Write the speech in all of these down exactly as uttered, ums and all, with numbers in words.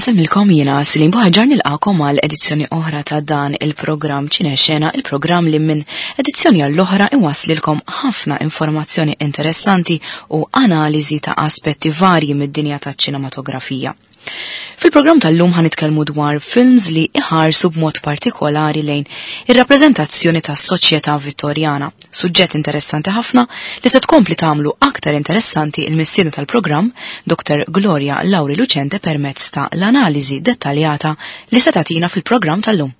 Insellmilkom jiena Celine Buhaġar nilqakom għal edizzjoni oħra ta' dan il-programm Ċinexena, il-programm li minn edizzjoni għall-oħra iwaslilkom ħafna informazzjoni interessanti u analiżi ta' aspetti varji mid-dinja taċ-ċinematografija. Fil-programm tal-lum ħanitkellmu dwar films li iħarsu b'mod partikolari lejn ir-rappreżentazzjoni tas-soċjetà Vittorjana, suġġett interessanti ħafna li se tkompli tagħmlu aktar interessanti il-missiena tal-programm Dr. Gloria Lauri Lucente permezz ta' l-analiżi dettaljata li se tagħtina fil-programm tal-lum.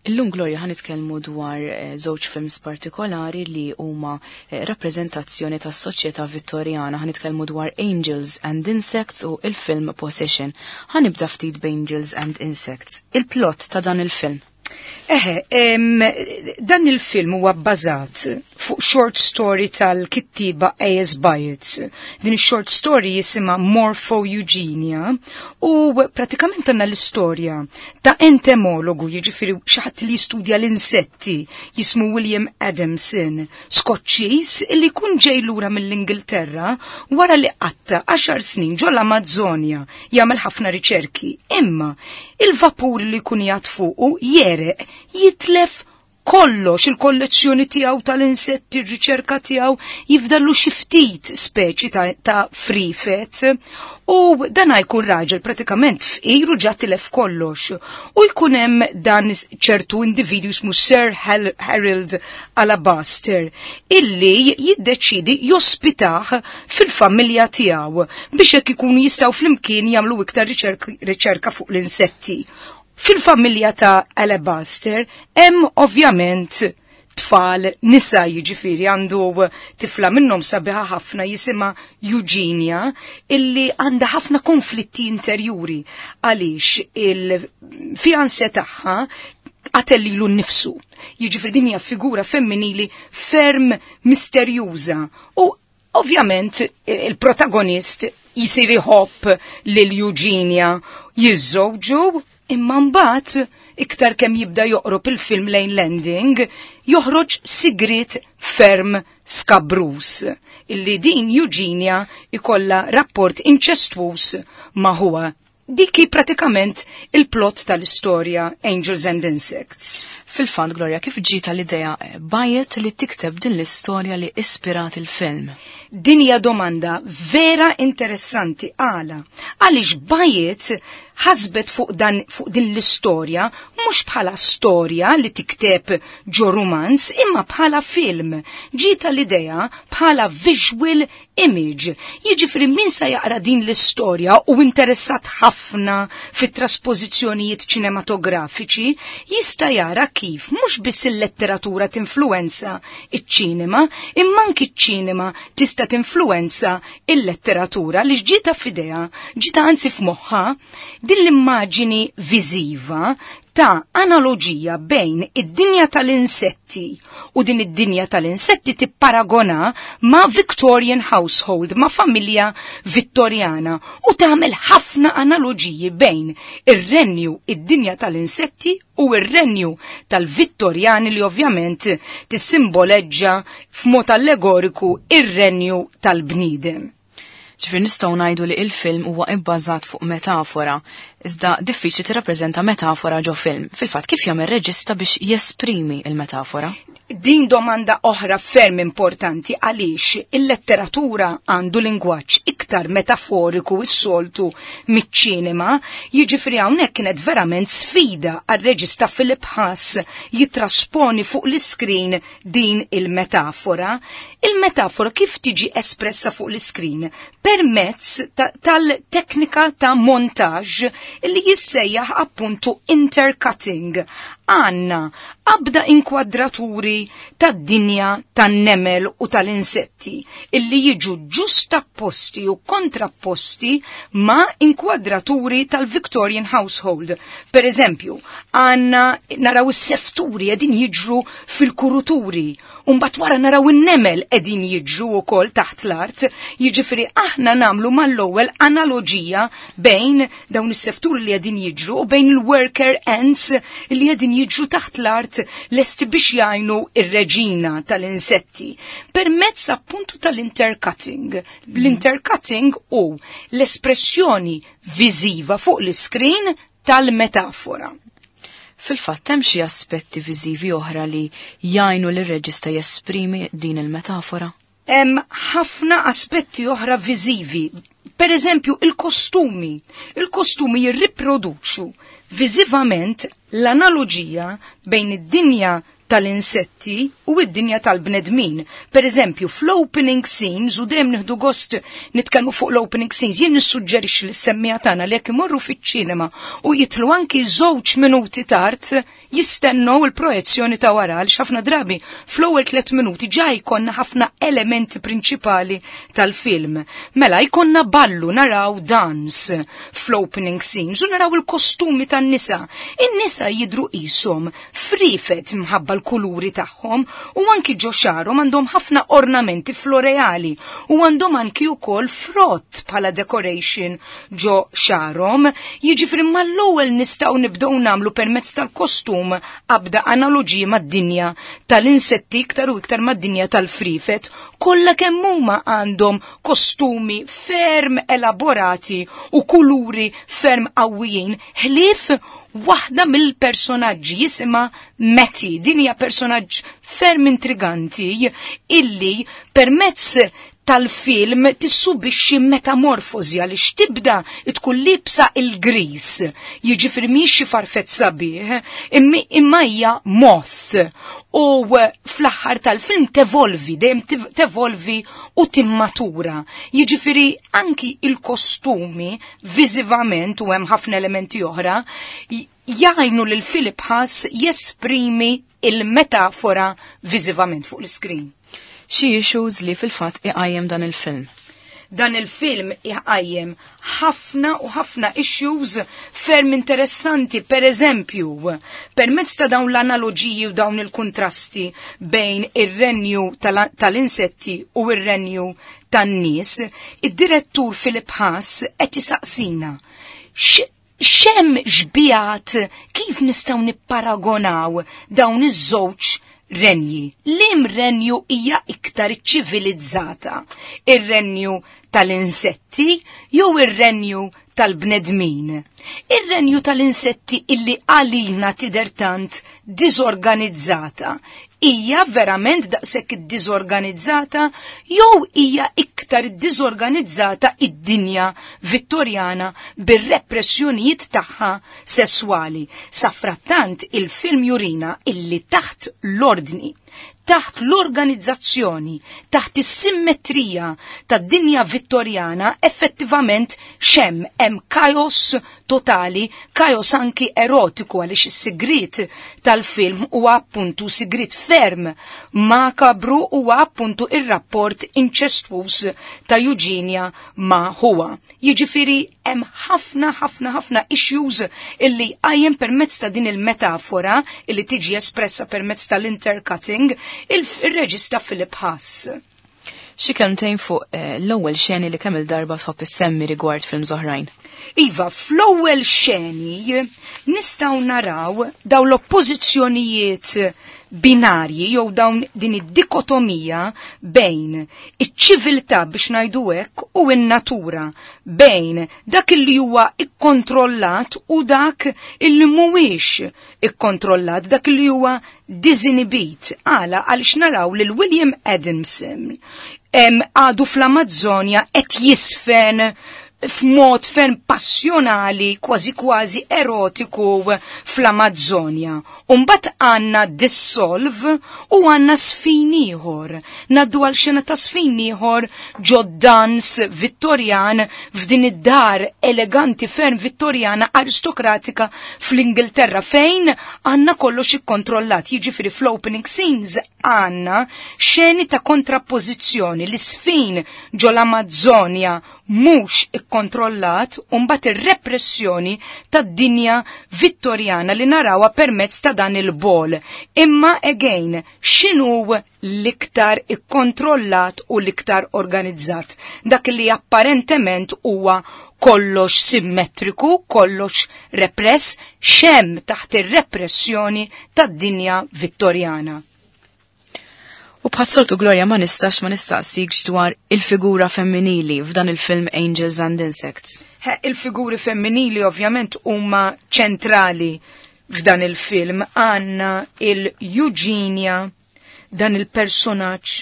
Illum Gloria ħan nitkellmu dwar żewġ films partikolari li huma rappreżentazzjoni tas-soċjetà Vittorjana. Ħan nitkellmu dwar Angels and Insects u il-film Possession. Ħa nibda ftit b'Angels and Insects. Il-plot ta' dan il-film. Eħe, dan il-film huwa bbażat fuq short story tal-kittiba A S. Byatt. Din short story jisimha Morpho Eugenia u pratikament għandna l-istorja ta' entomologu, jiġifieri xi ħadd li jistudja l-insetti, jismu William Adamson, Skoċċiż li jkun ġej lura mill-Ingilterra wara li qatta għaxar snin ġol-Amazzonja jagħmel ħafna riċerki. Imma il-vapur li jkun jgħad fuqu jereq, jitlef kollox, il-kollezzjoni tiegħu tal-insetti, ir-riċerka tiegħu, jifdallu xi ftit speċi ta', ta frifet. U dan jkun raġel pratikament fqir u ġa tilef kollox. U jkun hemm dan ċertu individwu jismu Sir Harold Alabaster illi jiddeċidi jospitah fil-familja tiegħu biex hekk ikunu jistgħu flimkien jagħmlu iktar riċerka fuq l-insetti. Fil-familja ta' Alabaster hemm ovvjament tfal nisa, jiġifieri għandu tifla minnhom sabiħa ħafna jisimha Eugenia illi għandha ħafna konflitti interjuri għaliex il-fianse tagħha qatel lilu nnifsu. Jiġifieri din hija figura femminili ferm misterjuża u ovvjament il-protagonist jisir iħobb lil Eugenia, jiżżewġu. Imma mbagħad iktar kemm jibda joqrob il-film lejn landing, joħroġ sigriet ferm skabrus illi din Eugenia ikolla rapport inċestwus ma' huwa. Dik hi pratikament il-plot tal-istorja Angels and Insects. Fil-fatt, Gloria, kif ġieta l-idea Byatt li tikteb din l-istorja li ispirat il-film? Din hija domanda vera interessanti. Għala? Għaliex Byatt ħasbet fuq dan, fuq din l-istorja mhux bħala storja li tikteb ġo romanz imma bħala film. Ġieta l-idea bħala visual image. Jiġifieri min sa jaqra din l-istorja u interessat ħafna fit-traspożizzjonijiet ċinematografiċi jista' jara kif mhux biss il-letteratura tinfluwenza iċ-ċinema, imma anki ċ-ċinema tista' tinfluwenza il-letteratura li ġieta f'idea, ġieta anzi f'moħħa din l-immaġini viżiva ta' analogija bejn id-dinja tal-insetti u din id-dinja tal-insetti tipparagona ma' Victorian household, ma' familja Vittorjana, u tagħmel ħafna analogiji bejn ir-renju id-dinja tal-insetti u ir-renju tal-Vittorjani li ovvjament tissimboleġġa f'mod allegoriku ir-renju tal-bniedem. Ġifieri nistgħu ngħidu li il-film huwa ibbażat fuq metafora, iżda diffiċli tirrappreżenta metafora ġo film. Fil-fatt kif jagħmel reġista biex jesprimi il-metafora? Din domanda oħra ferm importanti għaliex il-letteratura għandu lingwaġġ iktar metaforiku s-soltu miċ-ċinema, jiġifieri hawnhekk kienet verament sfida għar-reġista Philip Haas jitrasponi fuq l-iskrin din il-metafora. Il-metafora kif tiġi espressa fuq l-iskrin? Permezz tal-teknika ta' montaġġ li jissejjaħ appuntu intercutting. Għanna abda inkwadraturi tad-dinja tan-nemel u tal-insetti illi jiġu ġustapposti u kontrapposti ma' inkwadraturi tal-Victorian household. Per eżempju, għanna naraw is-sefturi qegħdin jiġru fil-kuruturi, u mbagħad wara naraw in-nemel qegħdin jiġru wkoll taħt l-art, jiġifieri aħna Aħna nagħmlu mal-ewwel analoġija bejn dawn is-sefturi li qegħdin jiġru u bejn il-worker ants li qegħdin jiġru taħt l-art lesti biex jgħinu ir-reġina tal-insetti. Permezz appuntu tal-intercutting. L-intercutting u l-espressjoni viżiva fuq l-iskrin tal-metafora. Fil-fatt hemm xi aspetti viżivi oħra li jgħinu lir-reġista jesprimi din il-metafora? Hemm ħafna aspetti oħra viżivi. Per eżempju, il-kostumi. Il-kostumi jirriproduċu viżivament l-analoġija bejn id-dinja tal-insetti u id-dinja tal-bnedmin. Per eżempju, fl-opening scenes, u dejjem nieħdu gost nitkellmu fuq l-opening scenes, jien nissuġġerixxi lis-semmiegħa tagħna li jekk imorru fiċ-ċinema u jidħlu anki żewġ minuti tard, jistennew il-projezzjoni ta' wara, għaliex ħafna drabi fl-ewwel tliet minuti ġa jkollna ħafna elementi prinċipali tal-film. Mela jkollna ballu, naraw dance fl-opening scenes u naraw il-kostumi tan-nisa. In-nisa jidru qishom frifet mħabba l-kuluri tagħhom u anki ġo xagħarhom għandhom ħafna ornamenti floreali u għandhom anki wkoll frott bħala decoration ġo xagħarhom. Jiġifieri mal-ewwel nistgħu nibdew nagħmlu permezz tal-kostum abda analoġiji mad-dinja tal-insetti iktar u iktar mad-dinja tal-frifet. Kollha kemm huma għandhom kostumi ferm elaborati u kuluri ferm qawwijin, ħlief waħda mill-personaġġi jisimha Mattie. Din hija personaġġ ferm intriganti illi permezz tal-film tissubixxi metamorfożi, għaliex tibda tkun libsa il-gris, jiġifieri mhix xi farfett sabiħ, imma hija moth. U fl-aħħar tal-film tevolvi, dejjem tevolvi u timmatura. Jiġifieri anki il-kostumi viżivament, u hemm ħafna elementi oħra, jgħinu lil Philip Haas jesprimi il-metafora viżivament fuq l-iskrin. Xi issues li fil-fatt iqajjem dan il-film? Dan il-film iqajjem ħafna u ħafna issues ferm interessanti. Per eżempju, permezz ta' dawn l-analoġiji u dawn il-kontrasti bejn ir-renju tal-insetti u ir-renju tan-nies, id-direttur Philip Haas qed isaqsina x'hemm xbihat, kif nistgħu nipparagonaw dawn iż-żewġ renji? Liem renju hija iktar ċivilizzata? Ir-renju tal-insetti jew ir-renju tal-bnedmin? Ir-renju tal-insetti illi għalina tidher tant diżorganizzata, hija verament daqshekk iddiżorganizzata jew hija iktar iddiżorganizzata id-dinja Vittorjana bir-repressjonijiet tagħha sesswali? Safrattant il-film jurina illi taħt l-ordni, taħt l-organizzazzjoni, taħt is-simmetrija tad-dinja Vittorjana, effettivament xem hemm kaos totali, kaos anki erotiku, għaliex is-sigrit tal-film huwa appuntu sigrit ferm makabru, huwa appuntu ir-rapport inċestwuż ta' Eugenia ma' huwa. Jiġifieri hemm ħafna, ħafna, ħafna issues illi qajjem permezz ta' din il-metafora illi tiġi espressa permezz tal-intercutting il-reġista Philip Haas. Xi kelmtejn fuq eh, l-ewwel xeni li kemm il-darba tħobb issemmi rigward film oħrajn? Iva, fl-ewwel xeni nistgħu naraw daw l-oppożizzjonijiet binarji jew dawn din id-dikotomija bejn iċ-ċiviltà, biex ngħidu hekk, u n-natura, bejn dak li huwa ikkontrollat u dak illi mhuwiex ikkontrollat, dak li huwa disinibit. Għala? Għaliex naraw lil William Adamson għadu fl-Amazzonja qed jisfen f'mod ferm passjonali, kważi kważi erotiku fl-Amazzonja. Umbat għanna dissolve u għanna sfin ieħor. Ngħaddu għal xena ta' sfin ieħor ġo dans Vittorjan f'din id-dar eleganti ferm Vittorjana aristokratika fl-Ingilterra, fejn għanna kollox ikkontrollat. Jiġifieri fl-opening scenes għanna xeni ta' kontrappożizzjoni, l-isfin ġo l-Amazzonja mhux ikkontrollat u mbagħad ir-repressjoni tad-dinja Vittorjana li narawha permezz ta' dan il-ball. Imma again, x'inhu l-iktar ikkontrollat u l-iktar organizzat? Dak li apparentement huwa kollox simmetriku, kollox repress, x'hemm taħt ir-repressjoni tad-dinja Vittorjana. U bħas-soltu, Gloria, ma nistax ma nistaqsikx dwar il-figura femminili f'dan il-film Angels and Insects. He, il-figuri femminili ovvjament huma ċentrali f'dan il-film. Għandna il-Eugenia, dan il-personaġġ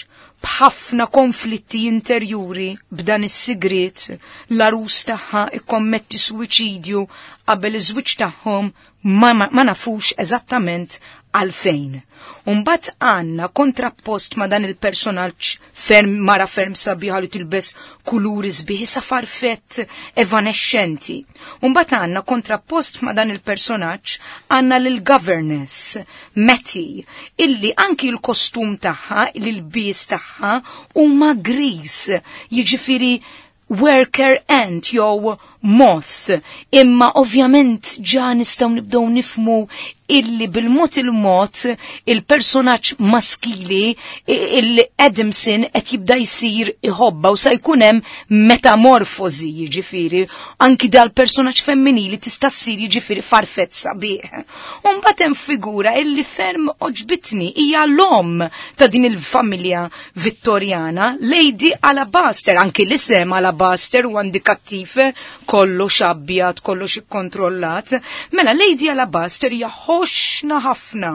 b'ħafna konflitti interjuri, b'dan is-sigriet, l-arus tagħha ikkommetti suwiċidju qabel iż-żwieġ tagħhom, ma, ma, ma nafux eżattament għalfejn. Umbat għandna kontrappost ma dan il-personaġġ ferm mara ferm sabiħa li tilbes kuluri sbieħ sa farfett evanescenti. Umbat għandna kontrappost ma dan il-personaġġ għandna lil governess Mattie, illi anki l-kostum tagħha, l-ilbies tagħha huma gris, jiġifieri worker ant jew moth. Imma ovvjament ġa nistgħu nibdew nifmu illi bil-mod il-mod il-personaġġ maskili, il-Adamson, qed jibda jsir iħobba u sa jkun hemm metamorfosi, jiġifieri anki dal-personaġġ femminili tista' ssir jiġifieri farfett sabiħ. U mbagħad hemm figura illi ferm għoġbitni, hija l-om ta' din il-familja Vittorjana, Lady Alabaster. Anki l-isem Alabaster huwa indikattiv, kollox abjad, kollox ikkontrollat. Mela Lady Alabaster hija ħoxna ħafna,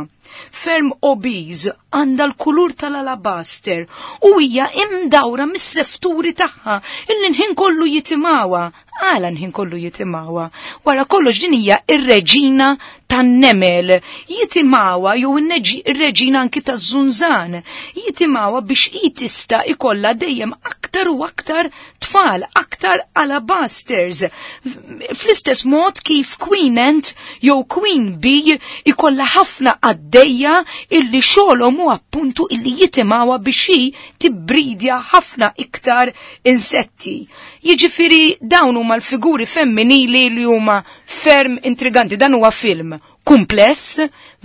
ferm obese, għandha l-kulur tal-alabaster u hija imdawra mis-sefturi tagħha illi nħin kollu jitimgħuha. Għala nħin kollu jitimgħuha? Wara kollox din hija ir-reġina tan-nemel. Jitimgħuha jew ir-reġina anki taż-żunżan. Jitimgħuha biex hi tista' ikollha dejjem aktar u aktar tfal, aktar alabasters. Fl-istess mod kif Queen Ant jew Queen Bee ikollha ħafna qaddejja illi xogħolhom hu appuntu illi jitimgħuha biex hi tibbridja ħafna iktar insetti. Jiġifieri dawn huma l-figuri femminili li huma ferm intriganti. Dan huwa film kumpless,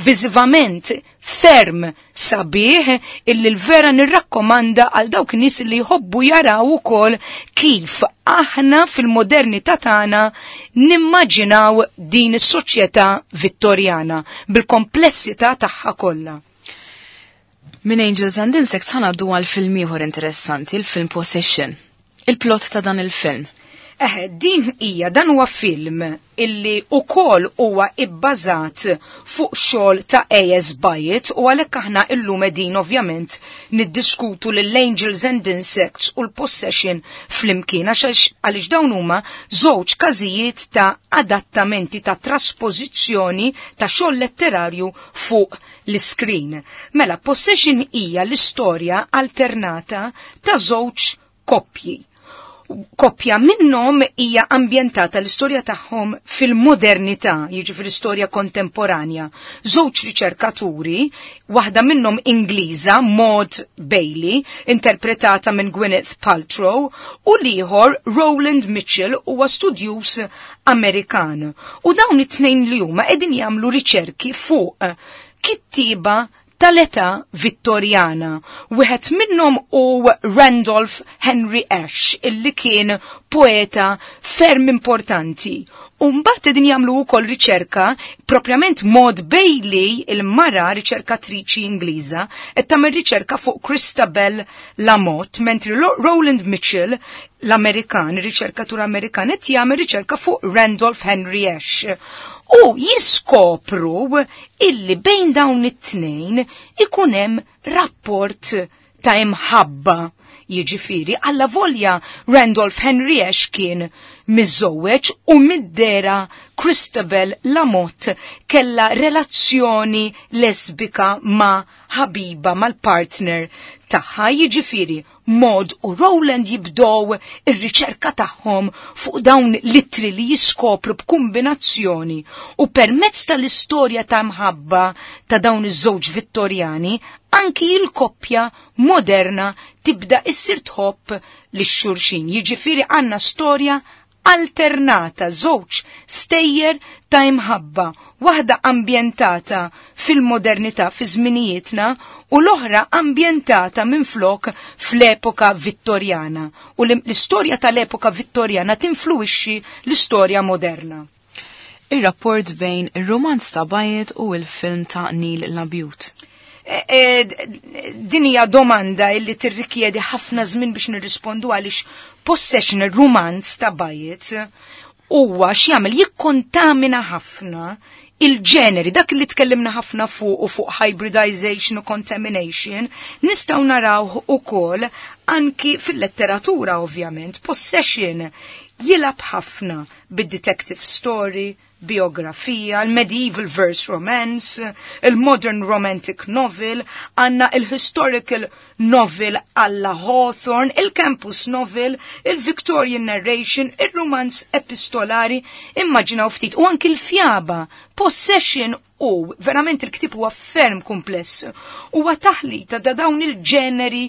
viżivament ferm sabiħ, illi l-vera nirrakkomanda għal dawk nies li jħobbu jaraw ukoll kif aħna fil-modernità tagħna nimmaġinaw din is-soċjetà Vittorjana bil-komplessità tagħha kollha. Minn Angels and Insects ħa ngħaddu għal film ieħor interessanti, il-film Possession. Il-plot ta' dan il-film. Eh, din hija dan huwa film illi ukoll huwa ibbażat fuq xogħol ta' A S. Byatt u għalhekk aħna illum qegħdin ovvjament niddiskutu lill-Angels and Insects u l-Possession flimkien, għax għaliex dawn huma żewġ każijiet ta' adattamenti, ta' trasposizzjoni ta' xogħol letterarju fuq l-screen. Mela, Possession hija l-istorja alternata ta' żewġ koppji. Koppja minnhom hija ambjentata l-istorja tagħhom fil-modernità, jiġifieri istorja kontemporanja. Żewġ riċerkaturi, waħda minnhom Ingliża, Maud Bailey, interpretata minn Gwyneth Paltrow, u l-ieħor Roland Mitchell huwa studjuż Amerikan. U dawn it-tnejn li huma qegħdin jagħmlu riċerki fuq kittiba tal-età Vittorjana. Wieħed minnhom hu Randolph Henry Ash, illi kien poeta ferm importanti. U mbagħad qegħdin jagħmlu wkoll riċerka, propjament Maud Bailey, il-mara riċerkatriċi Ingliża, qed tagħmel riċerka fuq Christabel Lamott, mentri Roland Mitchell, l-Amerikan, riċerkatur Amerikan, qed jagħmel riċerka fuq Randolph Henry Ash. U jiskopru illi bejn dawn it-tnejn ikun hemm rapport ta' imħabba. Jiġifieri, alla volja Randolph Henry Ash kien miżżewweġ u mid-dehra Christabel Lamott kella relazzjoni lesbika ma' ħabiba, mal-partner tagħha. Jiġifieri Maud u Roland jibdow ir-riċerka tagħhom fuq dawn l-ittri li jiskopru b'kombinazzjoni u permezz tal-istorja ta' mħabba ta' dawn iż-żewġ Vittorjani anki il-koppja moderna tibda issir tħobb lil xulxin. Jiġifieri għandna storja alternata, żewġ stejjer ta' imħabba, waħda ambjentata fil-modernità, fi żminijietna, u l-oħra ambjentata minflok fl-epoka Vittorjana. U l-istorja tal-epoka Vittorjana tinfluwixxi l-istorja moderna. Ir-rapport bejn ir-romanz ta' Byatt u l-film ta' Neil Labute. E, e, din hija domanda illi tirrikjedi ħafna żmien biex nirrispondu, għaliex Possession, il-romanz ta' Byatt, huwa x'jagħmel, jikkontamina ħafna il-ġeneri. Dak li tkellimna ħafna fuq u fuq hybridization u contamination, nistgħu naraw ukoll anki fil-letteratura ovvjament. Possession jilgħab ħafna bid-detective story, biografija, il-medieval verse romance, il-modern romantic novel, għandna il-historical novel alla Hawthorne, il-campus novel, il-Victorian narration, il-romance epistolari, immaġinaw ftit, u anki l-fjaba. Possession u verament il-ktib huwa ferm kumpless. Huwa taħlita da dawn il-ġeneri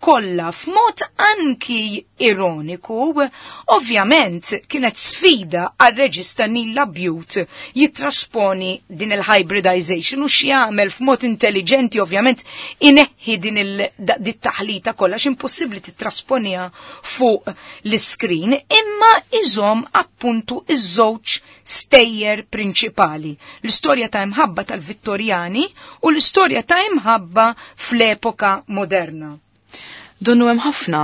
kollha f'mod anki ironiku. Ovvjament kienet sfida għal reġista Neil Labute jitrasponi din il-hybridization u x'jagħmel f'mod intelligenti, ovvjament ineħħi din il-taħlita kollha, x'impossibbli titrasponiha fuq l-screen, imma iżomm appuntu iż-żewġ stejjer prinċipali: l-istorja ta' imħabba tal-Vittorjani u l-istorja ta' imħabba fl-epoka moderna. Donnu hemm ħafna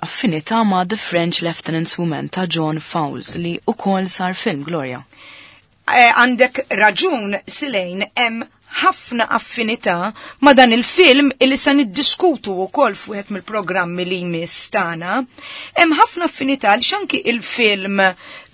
affinità ma' The French Lieutenant's Woman ta' John Fowles li ukoll sar film, Gloria. Eh, għandek raġun, Silejn, hemm ħafna affinità ma' dan il-film illi sa niddiskutu wkoll f'wieħed mill-programmi li jmiss tagħna. Hemm ħafna affinità li anki il-film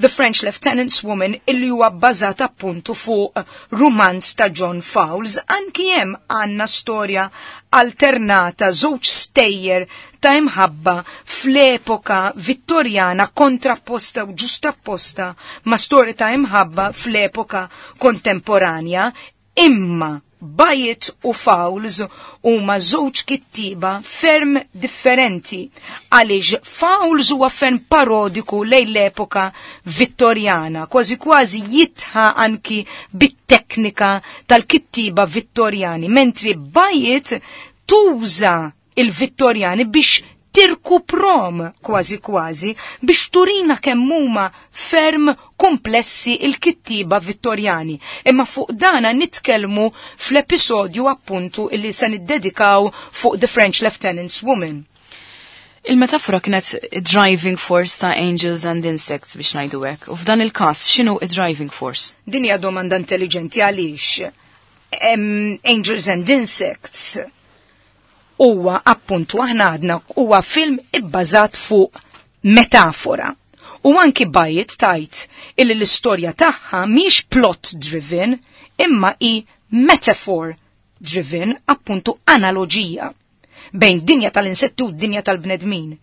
The French Lieutenant's Woman, illi huwa bbażat appuntu fuq romanz ta' John Fowles, anki hemm għandna storja alternata, żewġ stejjer ta' imħabba fl-epoka Vittorjana kontrapposta u ġustapposta ma' storja ta' imħabba fl-epoka kontemporanja. Imma Byatt u Fowles huma żewġ kittiba ferm differenti, għaliex Fowles huwa ferm parodiku lejn l-epoka Vittorjana, kważi kważi jidħak anki bit-teknika tal-kittiba Vittorjani, mentri Byatt tuża il-Vittorjani biex tirkuprom, kważi kważi biex turina kemm huma ferm komplessi il-kittiba Vittorjani. Imma fuq dana nitkellmu fl-episodju appuntu illi se niddedikaw fuq The French Lieutenant's Woman. Il-metafora kienet driving force ta' Angels and Insects, biex ngħidu hekk. U f'dan il-każ x'inhu driving force? Din hija domanda intelligenti, għaliex Angels and Insects huwa appuntu, aħna għadna, huwa film ibbażat fuq metafora. U anki Byatt tgħid illi l-istorja tagħha mhix plot driven imma i metaphor driven, appuntu analogija bejn dinja tal-insetti u dinja tal-bnedmin.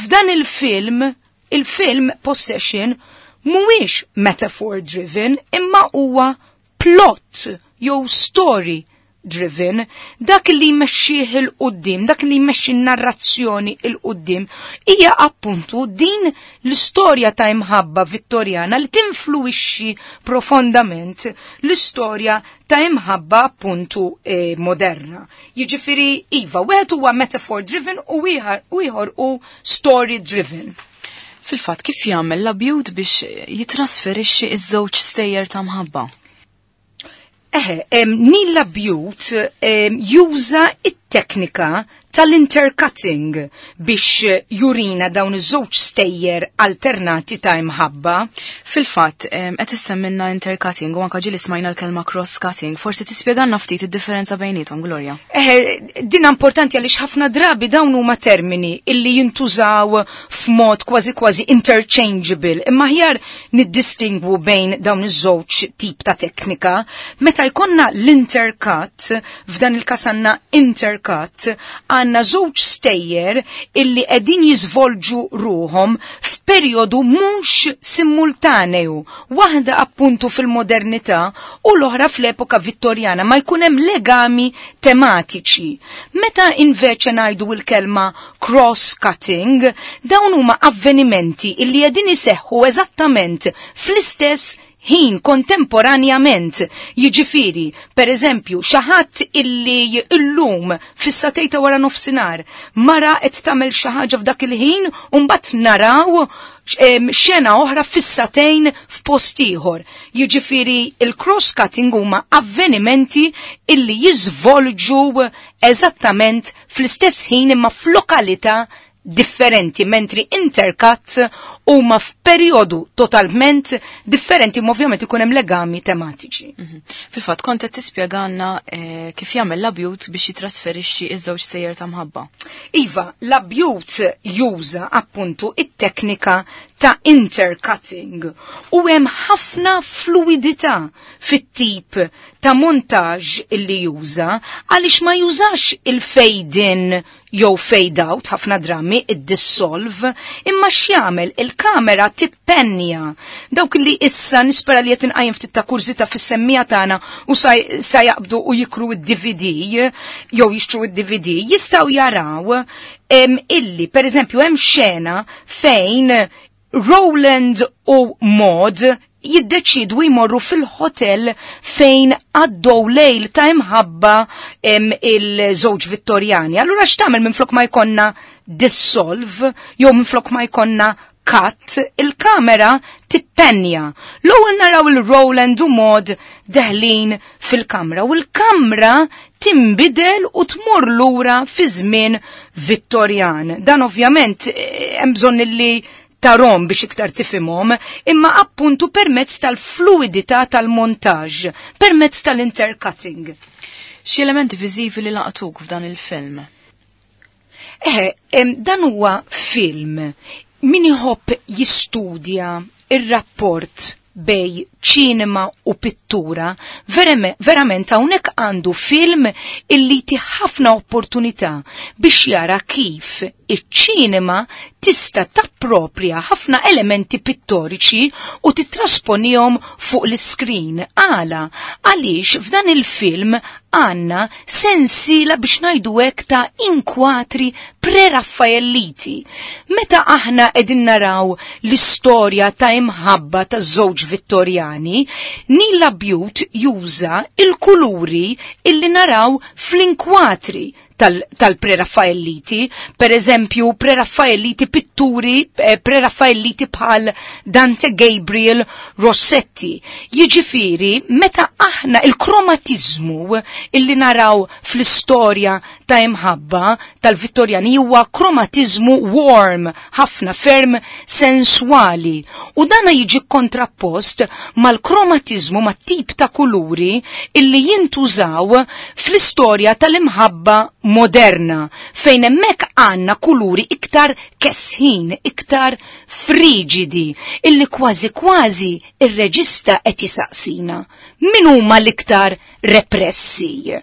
F'dan il-film, il-film Possession mhuwiex metaphor driven imma huwa plot jew story driven. Dak li jmexxih 'il quddiem, dak li jmexxi narrazzjoni 'il quddiem hija appuntu din l-istorja ta' imħabba Vittorjana li tinfluwixxi profondament l-istorja ta' imħabba appuntu eh, moderna. Jiġifieri iva, wieħed huwa metaphor driven u ieħor u story driven. Fil-fatt, kif jagħmel Labute biex jitrasferixxi iż-żewġ stejjer ta' mħabba? Eħe, Neil Labute juża it-teknika tal-intercutting biex jurina dawn iż-żewġ stejjer alternati ta' imħabba. Fil-fatt, qed issemmilna intercutting u anke ġieli smajna l-kelma cross-cutting, forsi tispjegalna ftit id-differenza bejniethom, Gloria. Eh, din importanti għaliex ħafna drabi dawn huma termini illi jintużaw f'mod kważi kważi interchangeable, imma aħjar niddistingwu bejn dawn iż-żewġ tip ta' teknika. Meta jkollna l-intercut, f'dan il-każ għandna intercut, għandna żewġ stejjer illi qegħdin jiżvolġu ruhom f'perjodu mhux simultaneju, waħda appuntu fil-modernità u l-oħra fl-epoka Vittorjana, ma jkun hemm legami tematiċi. Meta inveċe ngħidu l-kelma cross-cutting, dawn huma avvenimenti illi qegħdin iseħħu eżattament fl-istess ħin kontemporanjament. Jiġifieri, per eżempju, xi ħadd illi illum fis-sagħtejn ta' wara nofsinhar mara qed tagħmel xi ħaġa f'dak il-ħin u mbagħad naraw xena oħra fis-sagħtejn f'post ieħor. Jiġifieri il-cross-cutting huma avvenimenti illi jiżvolġu eżattament fl-istess ħin imma f'lokalità differenti, mentri intercut huma f'perjodu totalment differenti, ma ovvjament ikun hemm legami tematiċi. Mhm. Fil-fatt kont qed tispjegalna eh, kif jagħmel Labute biex jitrasferixxi iż-żewġ sejjer ta' mħabba. Iva, Labute juża appuntu it-teknika ta' intercutting u hemm ħafna fluidità fit-tip ta' montaġġ illi juża, għaliex ma jużax il-fade in jew fade out, ħafna drammi id-dissolve, imma x'jagħmel, il-kamera tippenja. Dawk li issa nispera li qed inqajjem ftit ta' kurżità fis-semmiegħa tagħna u sa, sa jaqbdu u jikru id-D V D jew jixtru id-D V D, jistgħu jaraw em, illi per eżempju hemm xena fejn Roland u Maud jiddeċidu jmorru fil-hotel fejn għaddew lejl ta' imħabba il-żewġ Vittorjani. Allura x'tagħmel, minflok ma jkollna dissolve jew minflok ma jkollna cut, il-kamera tippenja. L-ewwel naraw il-Roland u Maud deħlin fil-kamra u l-kamra timbidel u tmur lura fi żmien Vittorjan. Dan ovvjament eh, hemm bżonn li tarahom biex iktar tifhimhom, imma appuntu permezz tal-fluidità tal-montaġġ, permezz tal-intercutting. Xi elementi viżivi li laqtuk f'dan il-film? Eh, dan huwa film min iħobb jistudja ir-rapport bejn ċinema u pittura, verament hawnhekk għandu film illi ti ħafna opportunità biex jara kif iċ-ċinema tista' tappropria ħafna elementi pittoriċi u titrasponihom fuq l-screen. Għala, għaliex f'dan il-film għandna sensiela, biex ngħidu hekk, ta' inkwatri preraffaelliti. Meta aħna qegħdin naraw l-istorja ta' imħabba ta' żewġ Vittorjani, Neil Labute juża il-kuluri illi naraw fl-inkwatri tal-preraffaelliti, per eżempju preraffaelliti pitturi, eh, preraffaelliti bħal Dante Gabriel Rossetti. Jiġifieri, meta aħna il-kromatizmu illi naraw fl-istorja ta' imħabba tal-Vittorjani huwa kromatizmu warm, ħafna, ferm sensuali. U dana jiġi kontrappost mal-kromatizmu, ma' tip ta' kuluri illi jintużaw fl-istorja tal-imħabba moderna, fejn hemmhekk għandna kuluri iktar kesħin, iktar frigidi, illi kważi kważi ir-reġista qed jisaqsina: min huma l-iktar repressi?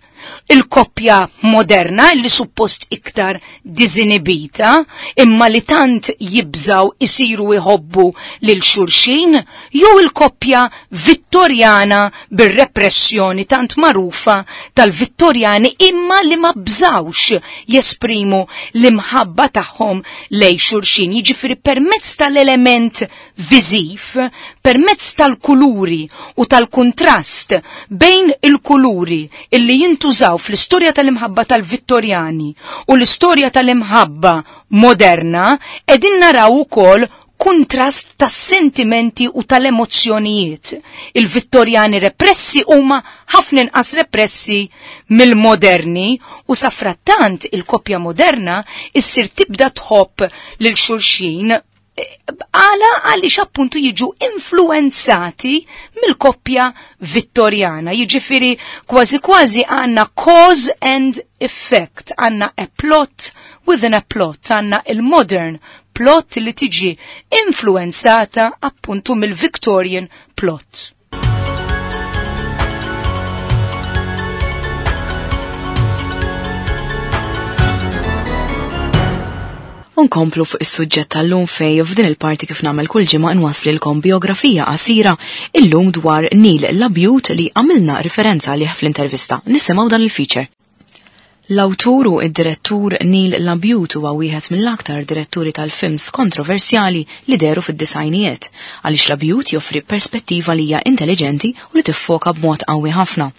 Il-koppja moderna li suppost iktar dizinibita, imma li tant jibżaw isiru jħobbu lil xulxin, jew il-koppja Vittorjana bir-repressjoni tant marufa tal-Vittorjani, imma li ma bżawx jesprimu l-imħabba tagħhom lej xulxin? Jiġifieri permezz tal-element viżiv, permezz tal-kuluri u tal-kontrast bejn il-kuluri illi jintużaw fl-istorja tal-imħabba tal-Vittorjani u l-istorja tal-imħabba moderna, qegħdin naraw ukoll kuntrast tas-sentimenti u tal-emozzjonijiet. Il-Vittorjani repressi huma ħafna inqas repressi mill-moderni u safrattant il-koppja moderna issir tibda tħobb lil xulxin għala għaliex appuntu jiġu influenzati mill-koppja Vittorjana. Jiġifieri kważi kważi għandna cause and effect, għandna a plot within a plot, għandna il-modern plot li tiġi influenzata appuntu mill-Victorian plot. Unkomplu fuq is-suġġett tal-lum fej f'din il-parti kif nagħmel kull ġimgħa nwaslilkom biografija qasira illum dwar Neil Labute li għamilna riferenza għalih fl-intervista. Nisimgħu dan il-feature. L-awtur u id-direttur Neil Labute huwa wieħed mill-aktar diretturi tal-films kontroversjali li deru fid-disajnijiet, għaliex Labute joffri perspettiva li hija intelligenti u li tiffoka b'mod qawwi ħafna.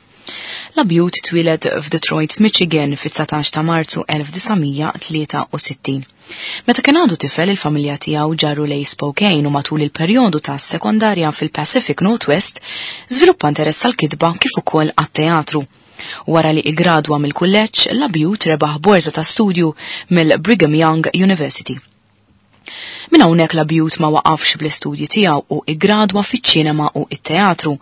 Labute twieled f'Detroit, Michigan fit-dsatax ta' Marzu elf disa' tlieta u sittin. Meta kien għadu tifel, il-familja tiegħu ġarru lej Spokane u matul il-perjodu ta' sekondarja fil-Pacific Northwest żviluppa interess għall-kitba kif ukoll għat-teatru. Wara li iggradwa mill-kulleġġ, Labute rebaħ borża ta' studju mill-Brigham Young University. Minn hawnhekk Labute ma waqafx bl-istudji tiegħu u iggradwa fiċ-ċinema u t-teatru.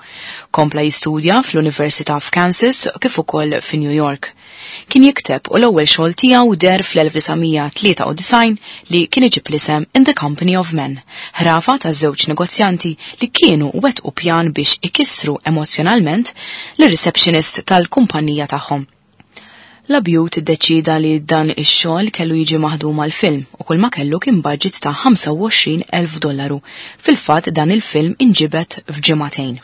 Kompla jistudja fl-Università f'Kansas kif ukoll fi New York. Kien jikteb u l-ewwel xogħol tiegħu der fl-elf disa' tlieta u disgħin li kien iġib l-isem In the Company of Men, ħrafa ta' żewġ negozjanti li kienu wettqu pjan biex ikissru emozjonalment lir-receptionist tal-kumpanija tagħhom. Labute iddeċida li dan ix-xogħol kellu jiġi maħdum għal-film u kull ma kellu kien budget ta' ħamsa u għoxrin elf dollaru. Fil-fatt dan il-film inġibed f'ġimagħtejn.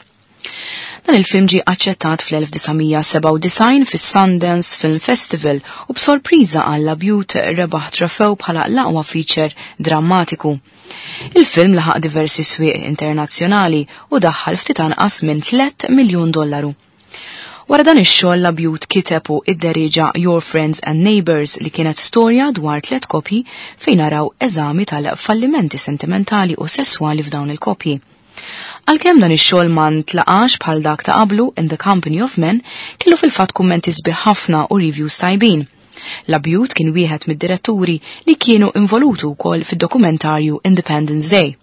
Dan il-film ġie aċċettat fl-elf disa' sebgħa u disgħin fis-Sundance Film Festival u b'sorpriża għal Labute rebaħ trofew bħala l-aqwa feature drammatiku. Il-film laħaq diversi swieq internazzjonali u daħħal ftit anqas minn tliet miljun dollaru. Wara dan ix-xogħol Labute kiteb u idderieġa Your Friends and Neighbors li kienet storja dwar tliet kopji fejn naraw eżami tal-fallimenti sentimentali u sesswali f'dawn il-kopji. Għalkemm dan ix-xogħol ma ntlaqax bħal dak ta' qablu In the Company of Men, kellu fil-fatt kummenti sbieħ ħafna u reviews tajbin. Labute kien wieħed mid-diretturi li kienu involutu wkoll fid-dokumentarju Independence Day.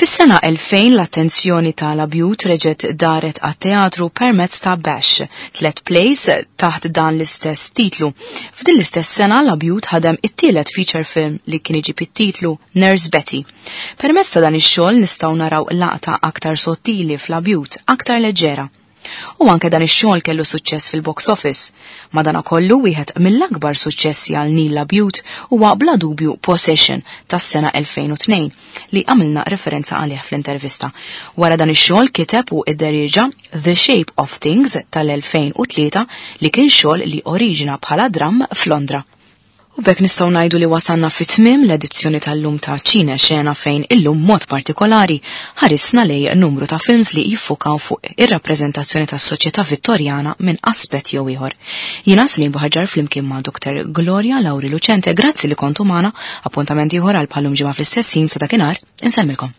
Fis-sena elfejn l-attenzjoni ta' Labute reġgħet daret għat-teatru permezz ta' Bash, tliet plays taħt dan l-istess titlu. F'din l-istess sena Labute ħadem it-tielet feature film li kien iġib it-titlu Nurse Betty. Permezz ta' dan ix-xogħol nistgħu naraw laqta aktar sottili f'Labute, aktar leġġera. U anke dan ix-xogħol kellu suċċess fil-box office. Madanakollu wieħed mill-akbar suċċessi għal Neil Labute huwa bla dubju Possession tas-sena elfejn u tnejn li għamilna referenza għalih fl-intervista. Wara dan ix-xogħol kiteb u idderieġa The Shape of Things tal-elfejn u tlieta li kien xogħol li oriġina bħala dramm f'Londra. U b'hekk nistgħu ngħidu li wasalna fi tmiem l-edizzjoni tal-lum ta' Ċine Xena fejn illum mod partikolari ħarisna lej numru ta' films li jiffukaw fuq ir-rappreżentazzjoni tas-soċjetà Vittorjana minn aspett jew ieħor. Jiena Celine Buhagiar flimkien ma' Doktor Gloria Lauri Lucente, grazzi li kontu magħna, appuntament ieħor għal bħalum ġimgħa fl-istess ħin sa dakinhar, insellmilkom.